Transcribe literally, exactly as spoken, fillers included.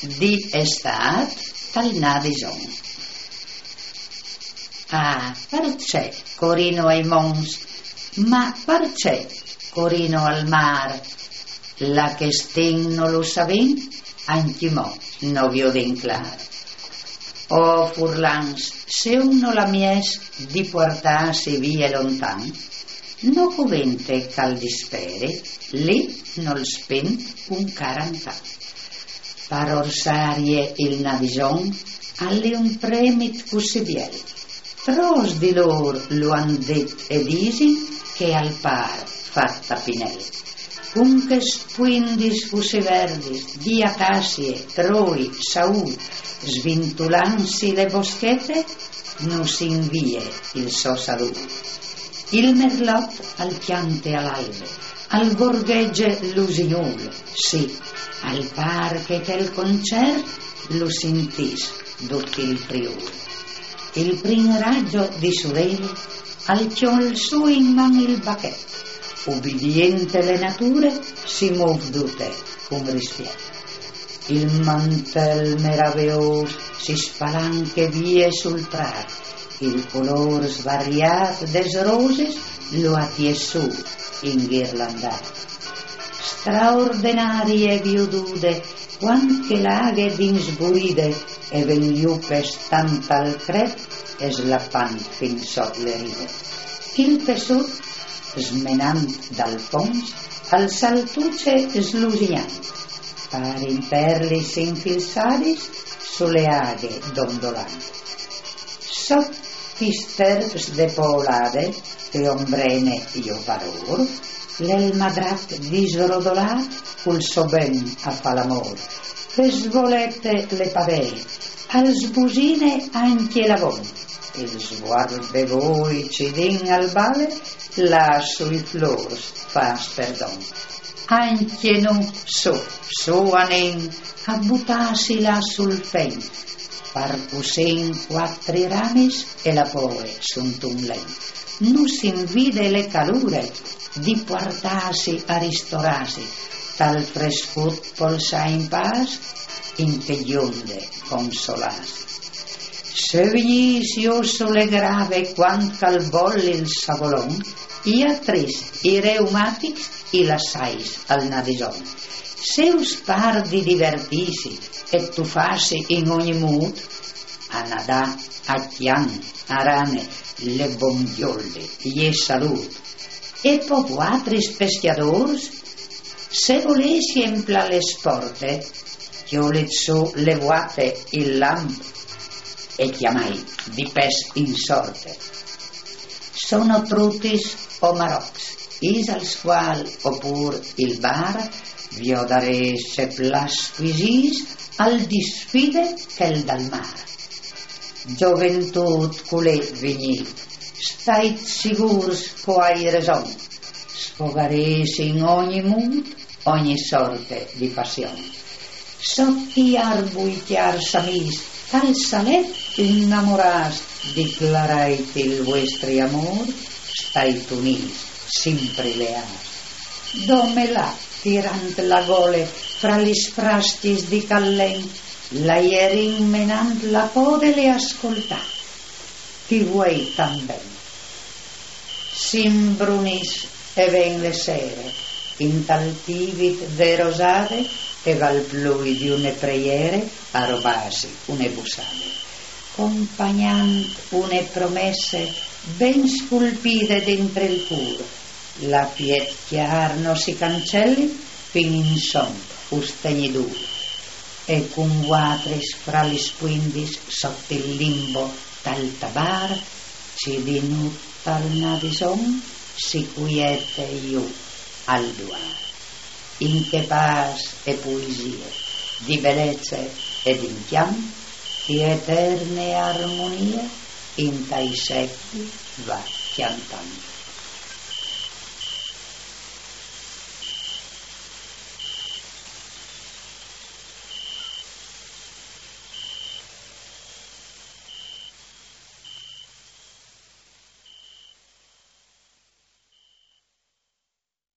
Di estât tal Nadison. Ah, parcè corino ai monts? Ma parcè corino al mâr? La chestion no lu savìn, ancjemò no viodìn clâr. O furlans, se un nol à mieç di puartâsi vie lontan, no covente che al disperi, li nol spint un carantan. Par orsarie il Nadison al è un premit cussì biel. Trops di lôr lu àn dit e disin che al pâr fat a pinel. Cun chês spuindis cussì verdis di acassie, roi, saûl, svintulansi le boschete, nus invie il so salût. Il merlot al cjante a l'albe, al gorghege l'usignûl, sì, al pâr che chel concert lu sintìs dut il Friûl. Il prin raggio di sulel al cjol sù in man il bachet, ubidiente le nature si môf dute cun rispiet. Il mantel meraveôs si spalanche vie sul prât, il colôr svariât des roses lu à tiessût inghirlandât. Straordenarie viodude, cuant che la aghe disburide e ven jù pestant tal cret e slapant fin sot le ride. Il pessut, smenant dal fons, al saltuce slusignant, parin perlis infilsadis su le aghe dondolant. Sot chês terps de poolade, che ombrene jo par ôr, l'è il madrac disrodolât cul so ben a fâ l'amôr. Che svolete le pavee, al sbusine ancje l'avon, il svuarp de voi cidin al bale, là sui flôrs fâs perdon. Ancje nô, sù, sù anìn a butâsi là sul fen, par cussì cuatri ramis e la poe suntun len. Nus invide le calure di puartâsi a ristorâsi, tal frescut polsâ in pâs, in chê gjonde consolâsi. Se vignîs jù su le grave cuant che al bol il savolon, i atris, i reumatics, i lassais al Nadison. Se us pâr di divertîsi e tufâsi in ogni mût, a nadâ, a cjant, a rane, le bon gjolde je salût. E po vuatris pescjadôrs, se volês jemplâ le sporte, cjolit sù le vuate, il lamp, e cjamait di pes in sorte. Sono trutis o marocs, isal scuâl o pûr il bar, viodarês ce plâs scuisîs al disfide chel dal mâr. Zoventût culé vignît, stait sigûrs che o ai reson, sfogarês in ogni mût ogni sorte di passion. Sot i arbui cjârs amîs, tal salet inamorâts, declarait il vuestri amôr, stait unîts, simpri leâts. Dome là, tirant la gole fra lis frascjis di chel len, la jerin menant la pode le à scoltât. Ti vuei tant ben. S'imbrunìs e ven le sere, intal tîbit de rosade e val plui di une preiere a robâsi une bussade, compagnant une promesse ben sculpide dentri il cûr, la piet cjâr no si cancelit fin in son us tegni dûr. E cun vuatris fra lis spuindis sot il limbo tal tabar, cidinût tal Nadison si cuiete jù al duar. In chê pâs e puisie di belece e d'incjant, chê eterne armonie intai secui va cjantant.